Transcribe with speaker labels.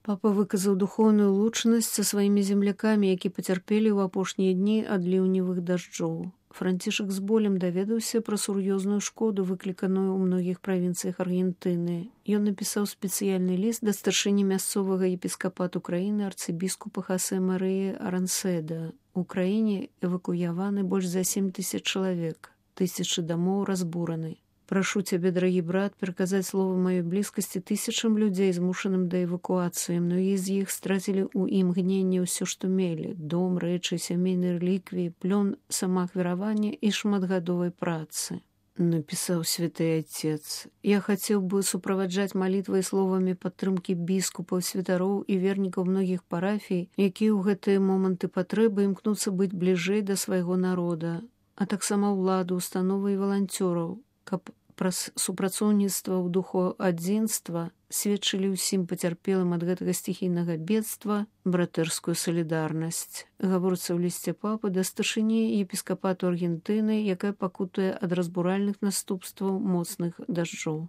Speaker 1: Папа выказаў духоўную лучнасць са сваімі землякамі, які пацярпелі ў апошнія дні ад ліўневых дажджоў. Францішак з болем даведаўся пра сур'ёзную шкоду, выкліканую ў многіх правінцыях Аргентыны. Ён напісаў спецыяльны ліст да старшыні мясцовага епіскапату краіны арцыбіскупа Хасе Марыі Аранседа. У краіне эвакуяваны больш за 7000 чалавек, тысячы дамоў разбураны. Прашу цябе, дарагі брат, пераказаць словы маёй блізкасці тысячам людзей, змушаным да эвакуацыі. Многія з іх страцілі ў імгненне ўсё, што мелі: дом, рэчы, сямейныя рэліквіі, плён самаахвяравання і шматгадовай працы. Напісаў святы отец. Я хацеў бы суправаджаць малітвай словамі падтрымкі біскупаў, святароў і вернікаў многіх парафій, якія ў гэтыя моманты патрэбы імкнуцца быць бліжэй да свайго народа, а таксама ўладу, установы і валанцёраў, каб праз супрацоўніцтва ў духу адзінства сведчылі ўсім пацярпелым ад гэтага стихійнага бедства братэрскую салідарнасць. Гаворыцца ў лісце папы да старшыні епіскапату Аргентыны, якая пакутуе ад разбуральных наступстваў моцных дажджоў.